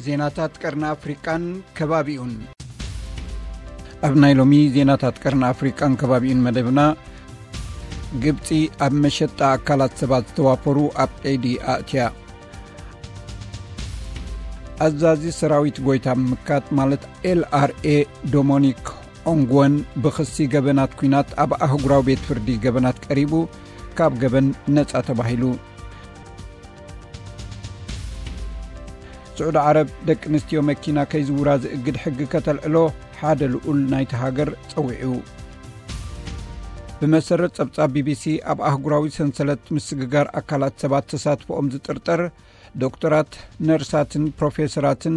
ዜናታት ቀርኒ ኣፍሪቃን ከባቢኡን። ኣብ ናይ ሎሚ ዜናታት ቀርኒ ኣፍሪቃን ከባቢኡን መደብና፣ ግብጺ ኣብ መሸጣ ኣካላት ሰባት ዝተዋፈሩ ኣብ ቀይዲ ኣእትያ። ኣዛዚ ሰራዊት ጎይታ ምምካት ማለት ኤልኣርኤ ዶሞኒክ ኦንግወን ብኽሲ ገበናት ኲናት ኣብ ኣህጉራዊ ቤት ፍርዲ ገበናት ቀሪቡ ካብ ገበን ነጻ ተባሂሉ። ስዑዲ ዓረብ ደቂ ኣንስትዮ መኪና ከይዝውራ ዝእግድ ሕጊ ከተልዕሎ ሓደ ልኡል ናይቲ ሃገር ጸዊዑ። ብመሰረት ጸብጻብ ቢቢሲ፣ ኣብ ኣህጉራዊ ሰንሰለት ምስግጋር ኣካላት ሰባት ተሳትፎኦም ዝጥርጠር ዶክተራት፣ ነርሳትን ፕሮፌሰራትን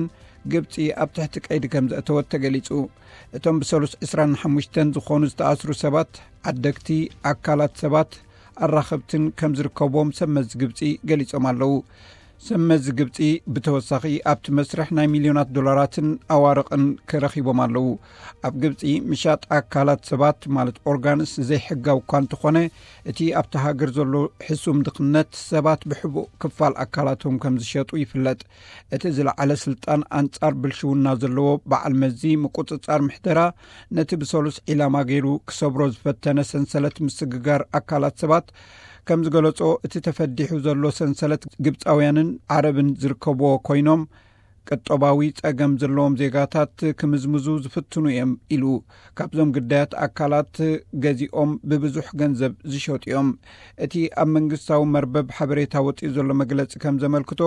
ግብጺ ኣብ ትሕቲ ቀይዲ ከም ዘእተወት ተገሊጹ። እቶም ብሰሉስ ዕስራን ሓሙሽተን ዝኾኑ ዝተኣስሩ ሰባት፣ ዓደግቲ፣ ኣካላት ሰባት፣ ኣራኸብትን ከም ዝርከብዎም ሰብ መዚ ግብጺ ገሊጾም ኣለዉ። ሰብ መዚ ግብጺ ብተወሳኺ ኣብቲ መስርሕ ናይ ሚልዮናት ዶላራትን ኣዋርቕን ክረኺቦም ኣለዉ። ኣብ ግብጺ ምሻጥ ኣካላት ሰባት ማለት ኦርጋንስ ዘይሕጋዊ እኳ እንተኾነ፣ እቲ ኣብቲ ሃገር ዘሎ ሕሱም ድኽነት ሰባት ብሕቡእ ክፋል ኣካላቶም ከም ዝሸጡ ይፍለጥ። እቲ ዝለዓለ ስልጣን ኣንጻር ብልሽውና ዘለዎ በዓል መዚ ምቁጽጻር ምሕደራ ነቲ ብሰሉስ ዒላማ ገይሩ ክሰብሮ ዝፈተነ ሰንሰለት ምስግጋር ኣካላት ሰባት ከም ዝገለጾ፣ እቲ ተፈዲሑ ዘሎ ሰንሰለት ግብጻውያንን ዓረብን ዝርከብዎ ኮይኖም፣ ቅጦባዊ ጸገም ዘለዎም ዜጋታት ክምዝምዙ ዝፍትኑ እዮም ኢሉ። ካብዞም ግዳያት ኣካላት ገዚኦም ብብዙሕ ገንዘብ ዝሸጡ እዮም። እቲ ኣብ መንግስታዊ መርበብ ሓበሬታ ወጺኡ ዘሎ መግለጺ ከም ዘመልክቶ፣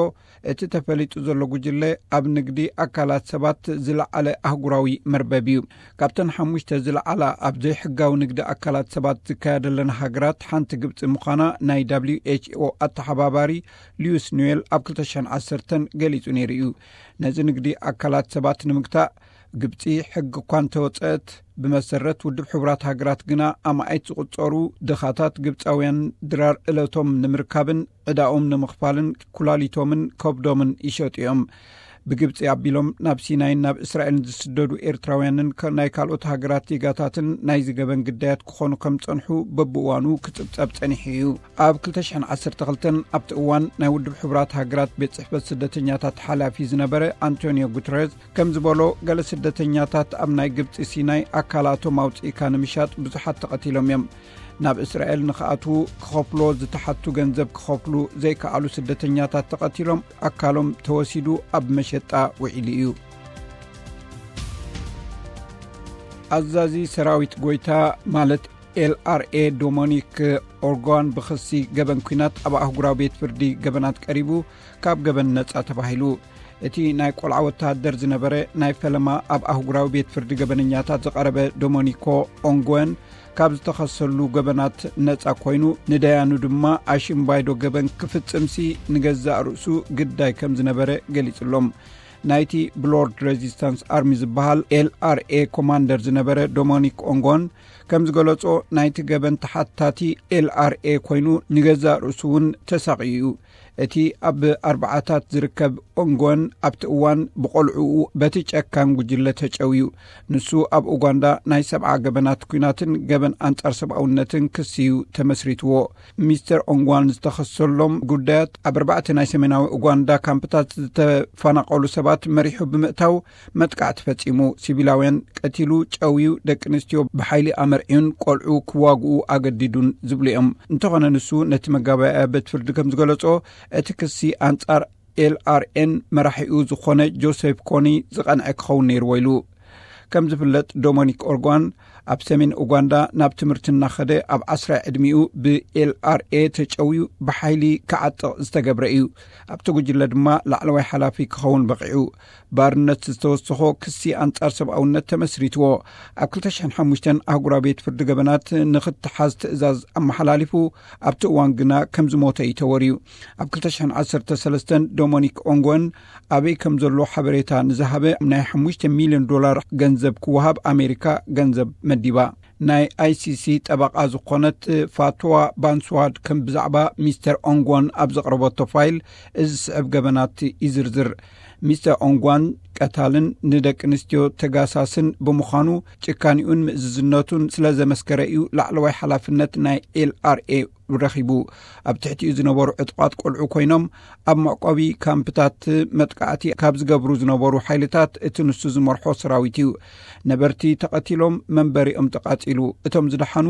እቲ ተፈሊጡ ዘሎ ጉጅለ ኣብ ንግዲ ኣካላት ሰባት ዝለዓለ ኣህጉራዊ መርበብ እዩ። ካብተን ሓሙሽተ ዝለዓላ ኣብ ዘይሕጋዊ ንግዲ ኣካላት ሰባት ዝካየደለን ሃገራት ሓንቲ ግብጺ ምዃና ናይ ደብሊው ኤች ኦ ኣተሓባባሪ ሉዊስ ኑዌል ኣብ ክልተ ሽሕን ዓሰርተን ገሊጹ ነይሩ እዩ። ነዚ ንግዲ ኣካላት ሰባት ንምግታእ ግብጺ ሕጊ እኳ እንተወጸት፣ ብመሰረት ውድብ ሕቡራት ሃገራት ግና ኣማኢት ዝቑጸሩ ድኻታት ግብጻውያን ድራር እለቶም ንምርካብን ዕዳኦም ንምኽፋልን ኩላሊቶምን ከብዶምን ይሸጡ እዮም። ብግብጺ ኣቢሎም ናብ ሲናይን ናብ እስራኤልን ዝስደዱ ኤርትራውያንን ከ-፣ ናይ ካልኦት ሃገራት ዜጋታትን ናይዚ ገበን ግዳያት ክኾኑ ከም ጸንሑ በብእዋኑ ክጽብጸብ ጸኒሑ እዩ። ኣብ ክልተ ሽሕን ዓሰርተ ክልተን ኣብቲ እዋን ናይ ውድብ ሕቡራት ሃገራት ቤት ጽሕፈት ስደተኛታት ሓላፊ ዝነበረ ኣንቶኒዮ ጉተረዝ ከም ዝበሎ፣ ገለ ስደተኛታት ኣብ ናይ ግብጺ ሲናይ ኣካላቶም ኣውጺእካ ንምሻጥ ብዙሓት ተቐቲሎም እዮም። ናብ እስራኤል ንኽኣትዉ ክኸፍልዎ ዝተሓቱ ገንዘብ ክኸፍሉ ዘይከኣሉ ስደተኛታት ተቐቲሎም፣ ኣካሎም ተወሲዱ ኣብ መሸጣ ውዒሉ እዩ። ኣዛዚ ሰራዊት ጎይታ ማለት ኤልኣርኤ ዶሞኒክ ኦርጓን ብኽሲ ገበን ኲናት ኣብ ኣህጉራዊ ቤት ፍርዲ ገበናት ቀሪቡ ካብ ገበን ነጻ ተባሂሉ። እቲ ናይ ቆልዓ ወተሃደር ዝነበረ ናይ ፈለማ ኣብ ኣህጉራዊ ቤት ፍርዲ ገበነኛታት ዝቐረበ ዶሞኒኮ ኦንጎን ካብ ዝተኸሰሉ ገበናት ነጻ ኮይኑ፣ ንደያኑ ድማ ኣሽምባይዶ ገበን ክፍጽምሲ ንገዛእ ርእሱ ግዳይ ከም ዝነበረ ገሊጹሎም። ናይቲ ብሎርድ ሬዚስታንስ ኣርሚ ዝበሃል ኤልኣርኤ ኮማንደር ዝነበረ ዶሞኒክ ኦንጎን ከም ዝገለጾ፣ ናይቲ ገበን ተሓታቲ ኤልኣርኤ ኮይኑ፣ ንገዛእ ርእሱ እውን ተሳቕዩ እዩ። እቲ ኣብ ኣርባዓታት ዝርከብ ኦንጎን ኣብቲ እዋን ብቆልዕኡ በቲ ጨካን ጉጅለ ተጨውዩ። ንሱ ኣብ ኡጋንዳ ናይ ሰብዓ ገበናት ኲናትን ገበን ኣንጻር ሰብኣውነትን ክሲ እዩ ተመስሪትዎ። ሚስተር ኦንጓን ዝተኸሰሎም ጉዳያት ኣብ ኣርባዕተ ናይ ሰሜናዊ ኡጋንዳ ካምፕታት ዝተፈናቐሉ ሰባት መሪሑ ብምእታው መጥቃዕቲ ፈጺሙ፣ ሲቪላውያን ቀቲሉ፣ ጨውዩ፣ ደቂ ኣንስትዮ ብሓይሊ ኣመርዕዩን ቆልዑ ክዋግኡ ኣገዲዱን ዝብሉ እዮም። እንተኾነ ንሱ ነቲ መጋባእያ ቤት ፍርዲ ከም ዝገለጾ፣ እቲ ክሲ ኣንጻር ኤልኣርኤን መራሒኡ ዝኾነ ጆሴፍ ኮኒ ዝቐንዐ ክኸውን ነይርዎ ኢሉ። ከም ዝፍለጥ፣ ዶሞኒክ ኦርጓን ኣብ ሰሜን ኡጋንዳ ናብ ትምህርቲ እናኸደ ኣብ ዓስራይ ዕድሚኡ ብኤልኣርኤ ተጨውዩ ብሓይሊ ክዓጥቕ ዝተገብረ እዩ። ኣብቲ ጉጅለ ድማ ላዕለዋይ ሓላፊ ክኸውን በቒዑ። ባርነት ዝተወሰኾ ክሲ ኣንጻር ሰብኣውነት ተመስሪትዎ። ኣብ ክልተ ሽሕን ሓሙሽተን ኣህጉራዊ ቤት ፍርዲ ገበናት ንኽተሓዝ ትእዛዝ ኣመሓላሊፉ፣ ኣብቲ እዋን ግና ከም ዝሞተ እዩ ተወርዩ። ኣብ ክልተ ሽሕን ዓሰርተ ሰለስተን ዶሞኒክ ኦንጎን ኣበይ ከም ዘሎ ሓበሬታ ንዝሃበ ናይ ሓሙሽተ ሚልዮን ዶላር ገንዘብ ክወሃብ ኣሜሪካ ገንዘብ መዲባ። ናይ ኣይሲሲ ጠበቓ ዝኾነት ፋትዋ ባንስዋድ ከም ብዛዕባ ሚስተር ኦንጎን ኣብ ዘቕረበቶ ፋይል እዚ ዝስዕብ ገበናት ይዝርዝር። ሚስተር ኦንጓን ቀታልን ንደቂ ኣንስትዮ ተጋሳስን ብምዃኑ፣ ጭካኒኡን ምእዝዝነቱን ስለ ዘመስከረ እዩ ላዕለዋይ ሓላፍነት ናይ ኤልኣርኤ ረኺቡ። ኣብ ትሕቲኡ ዝነበሩ ዕጡቓት ቆልዑ ኮይኖም፣ ኣብ መዕቆቢ ካምፕታት መጥቃዕቲ ካብ ዝገብሩ ዝነበሩ ሓይልታት እቲ ንሱ ዝመርሖ ሰራዊት እዩ። ነበርቲ ተቐቲሎም፣ መንበሪኦም ተቓጺሉ። እቶም ዝደሓኑ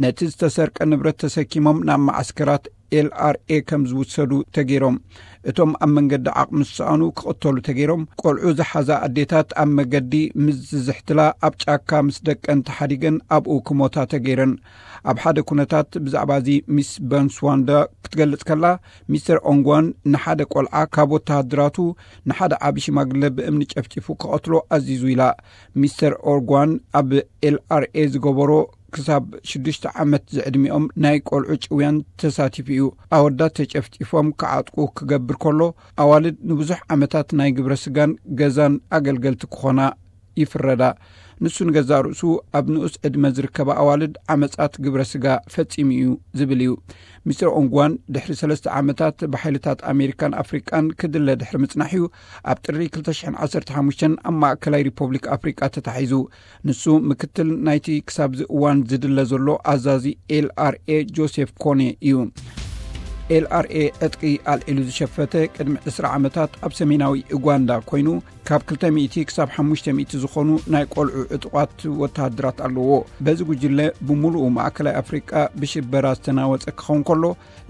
ነቲ ዝተሰርቀ ንብረት ተሰኪሞም ናብ መዓስከራት ኤልኣርኤ ከም ዝውሰዱ ተገይሮም። እቶም ኣብ መንገዲ ዓቕሚ ዝሰኣኑ ክቕተሉ ተገይሮም። ቆልዑ ዝሓዛ ኣዴታት ኣብ መገዲ ምስ ዝዝሕትላ፣ ኣብ ጫካ ምስ ደቀን ተሓዲገን ኣብኡ ክሞታ ተገይረን። ኣብ ሓደ ኩነታት ብዛዕባ እዚ ሚስ በንስዋንዳ ክትገልጽ ከላ፣ ሚስተር ኦንጓን ንሓደ ቆልዓ ካብ ወተሃደራቱ ንሓደ ዓቢ ሽማግለ ብእምኒ ጨፍጪፉ ክቐትሎ ኣዚዙ ኢላ። ሚስተር ኦንጓን ኣብ ኤልኣርኤ ዝገበሮ ክሳብ ሽዱሽተ ዓመት ዝዕድሚኦም ናይ ቆልዑ ጭውያን ተሳቲፉ እዩ። ኣወዳት ተጨፍጪፎም ክዓጥቁ ክገብር ከሎ፣ ኣዋልድ ንብዙሕ ዓመታት ናይ ግብረ ስጋን ገዛን ኣገልገልቲ ክኾና ይፍረዳ። ንሱ ንገዛእ ርእሱ ኣብ ንኡስ ዕድመ ዝርከባ ኣዋልድ ዓመጻት ግብረ ስጋ ፈጺሙ እዩ ዝብል እዩ። ሚስተር ኦንጓን ድሕሪ ሰለስተ ዓመታት ብሓይልታት ኣሜሪካን ኣፍሪቃን ክድለ ድሕሪ ምጽናሕ እዩ ኣብ ጥሪ ክልተ ሽሕን ዓሰርተ ሓሙሽተን ኣብ ማእከላይ ሪፖብሊክ ኣፍሪቃ ተታሒዙ። ንሱ ምክትል ናይቲ ክሳብዚ እዋን ዝድለ ዘሎ ኣዛዚ ኤልኣርኤ ጆሴፍ ኮኔ እዩ። ኤልኣርኤ ዕጥቂ ኣልዒሉ ዝሸፈተ ቅድሚ ዕስራ ዓመታት ኣብ ሰሜናዊ ኡጋንዳ ኮይኑ፣ ካብ ክልተ ሚእቲ ክሳብ ሓሙሽተ ሚእቲ ዝኾኑ ናይ ቆልዑ ዕጡቓት ወተሃደራት ኣለዎ። በዚ ጉጅለ ብምሉኡ ማእከላይ ኣፍሪቃ ብሽበራ ዝተናወጸ ክኸውን ከሎ፣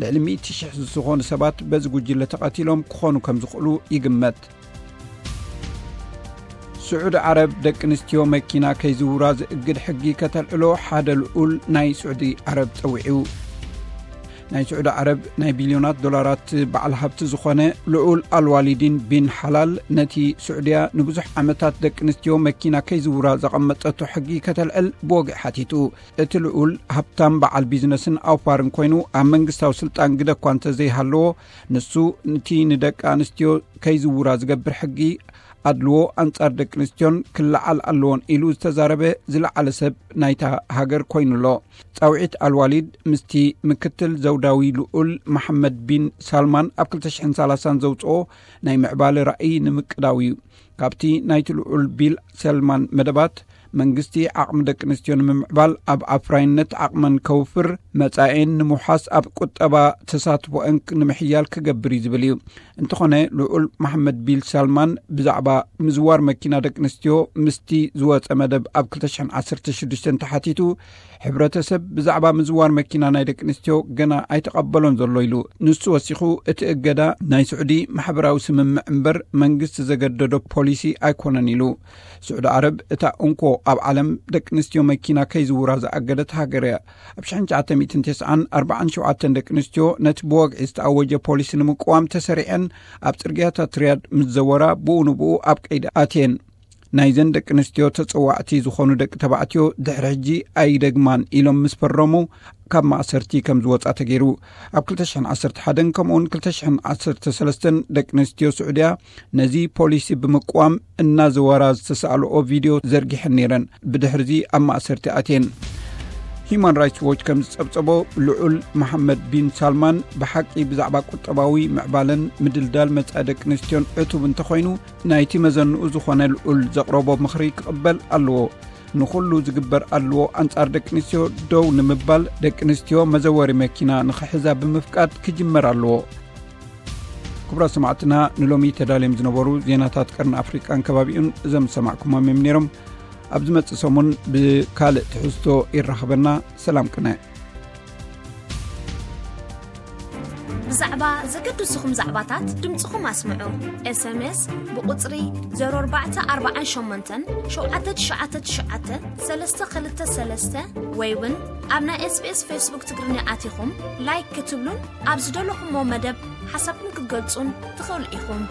ልዕሊ ሚእቲ ሽሕ ዝኾኑ ሰባት በዚ ጉጅለ ተቐቲሎም ክኾኑ ከም ዝኽእሉ ይግመት። ስዑዲ ዓረብ ደቂ ኣንስትዮ መኪና ከይዝውራ ዝእግድ ሕጊ ከተልዕሎ ሓደ ልዑል ናይ ስዑዲ ዓረብ ጸዊዑ። ናይ ስዑዲ ዓረብ ናይ ቢልዮናት ዶላራት በዓል ሃብቲ ዝኾነ ልዑል ኣልዋሊዲን ቢን ሓላል፣ ነቲ ስዑድያ ንብዙሕ ዓመታት ደቂ ኣንስትዮ መኪና ከይዝውራ ዘቐመጠቶ ሕጊ ከተልዕል ብወግዒ ሓቲቱ። እቲ ልዑል ሃብታም በዓል ቢዝነስን ኣውፋርን ኮይኑ፣ ኣብ መንግስታዊ ስልጣን ግደ እኳ እንተዘይሃለዎ፣ ንሱ ነቲ ንደቂ ኣንስትዮ ከይዝውራ ዝገብር ሕጊ ኣድልዎ ኣንጻር ደቂ ኣንስትዮን ክለዓል ኣለዎን ኢሉ ዝተዛረበ ዝለዓለ ሰብ ናይታ ሃገር ኮይኑ ኣሎ። ጻውዒት ኣልዋሊድ ምስቲ ምክትል ዘውዳዊ ልዑል መሓመድ ቢን ሳልማን ኣብ ክልተ ሽሕን ሰላሳን ዘውጽኦ ናይ ምዕባለ ራእይ ንምቅዳው እዩ። ካብቲ ናይቲ ልዑል ቢል ሰልማን መደባት፣ መንግስቲ ዓቕሚ ደቂ ኣንስትዮ ንምምዕባል፣ ኣብ ኣፍራይነት ዓቕመን ከውፍር፣ መጻኤን ንምውሓስ ኣብ ቁጠባ ተሳትፎአን ንምሕያል ክገብር እዩ ዝብል እዩ። እንተኾነ፣ ልዑል መሓመድ ቢል ሳልማን ብዛዕባ ምዝዋር መኪና ደቂ ኣንስትዮ ምስቲ ዝወጸ መደብ ኣብ ክልተ ሽሕን ዓሰርተ ሽዱሽተን ተሓቲቱ፣ ሕብረተሰብ ብዛዕባ ምዝዋር መኪና ናይ ደቂ ኣንስትዮ ገና ኣይተቐበሎን ዘሎ ኢሉ። ንሱ ወሲኹ፣ እቲ እገዳ ናይ ስዑዲ ማሕበራዊ ስምምዕ እምበር መንግስቲ ዘገደዶ ፖሊሲ ኣይኮነን ኢሉ። ስዑዲ ዓረብ እታ እንኮ ኣብ ዓለም ደቂ ኣንስትዮ መኪና ከይዝውራ ዝኣገደት ሃገር እያ። ኣብ ሽሕን ትሽዓተ ሚእትን ተስዓን ኣርባዓን ሸውዓተን ደቂ ኣንስትዮ ነቲ ብወግዒ ዝተኣወጀ ፖሊሲ ንምቅዋም ተሰሪዐን ኣብ ጽርግያታት ሪያድ ምስ ዘወራ፣ ብኡ ንብኡ ኣብ ቀይዲ ኣትየን። ናይዘን ደቂ ኣንስትዮ ተጸዋዕቲ ዝኾኑ ደቂ ተባዕትዮ ድሕሪ ሕጂ ኣይደግማን ኢሎም ምስ ፈረሙ፣ ካብ ማእሰርቲ ከም ዝወጻ ተገይሩ። ኣብ ክልተ ሽሕን ዓሰርተ ሓደን ከምኡውን ክልተ ሽሕን ዓሰርተ ሰለስተን ደቂ ኣንስትዮ ስዑድያ ነዚ ፖሊሲ ብምቅዋም እናዘወራ ዝተሳእልኦ ቪድዮ ዘርጊሐን ነይረን። ብድሕሪዚ ኣብ ማእሰርቲ ኣትየን። ሂዩማን ራይትስ ዎች ከም ዝጸብጸቦ፣ ልዑል መሓመድ ቢን ሳልማን ብሓቂ ብዛዕባ ቁጠባዊ ምዕባለን ምድልዳል መጻኢ ደቂ ኣንስትዮን ዕቱብ እንተኾይኑ፣ ናይቲ መዘንኡ ዝኾነ ልዑል ዘቕረቦ ምኽሪ ክቕበል ኣለዎ። ንኹሉ ዝግበር ኣለዎ ኣንጻር ደቂ ኣንስትዮ ደው ንምባል፣ ደቂ ኣንስትዮ መዘወሪ መኪና ንኽሕዛ ብምፍቃድ ክጅመር ኣለዎ። ክቡራት ሰማዕትና፣ ንሎሚ ተዳልዮም ዝነበሩ ዜናታት ቀርኒ ኣፍሪቃን ከባቢኡን እዞም ዝሰማዕኩሞም እዮም ነይሮም። ኣብ ዝመጽእ ሰሙን ብካልእ ትሕዝቶ ይራኸበና። ሰላም ቅነ። ብዛዕባ ዘገድስኹም ዛዕባታት ድምፅኹም ኣስምዑ። ኤስኤምኤስ ብቁፅሪ ዜሮ ኣርባዕተ ኣርባዓን ሸሞንተን ሸውዓተ ትሽዓተ ትሽዓተ ሰለስተ ክልተ ሰለስተ ወይ እውን ኣብ ናይ ኤስቢኤስ ፌስቡክ ትግርኛ ኣቲኹም ላይክ ክትብሉን ኣብ ዝደለኹሞ መደብ ሓሳብኩም ክትገልጹን ትኽእሉ ኢኹም።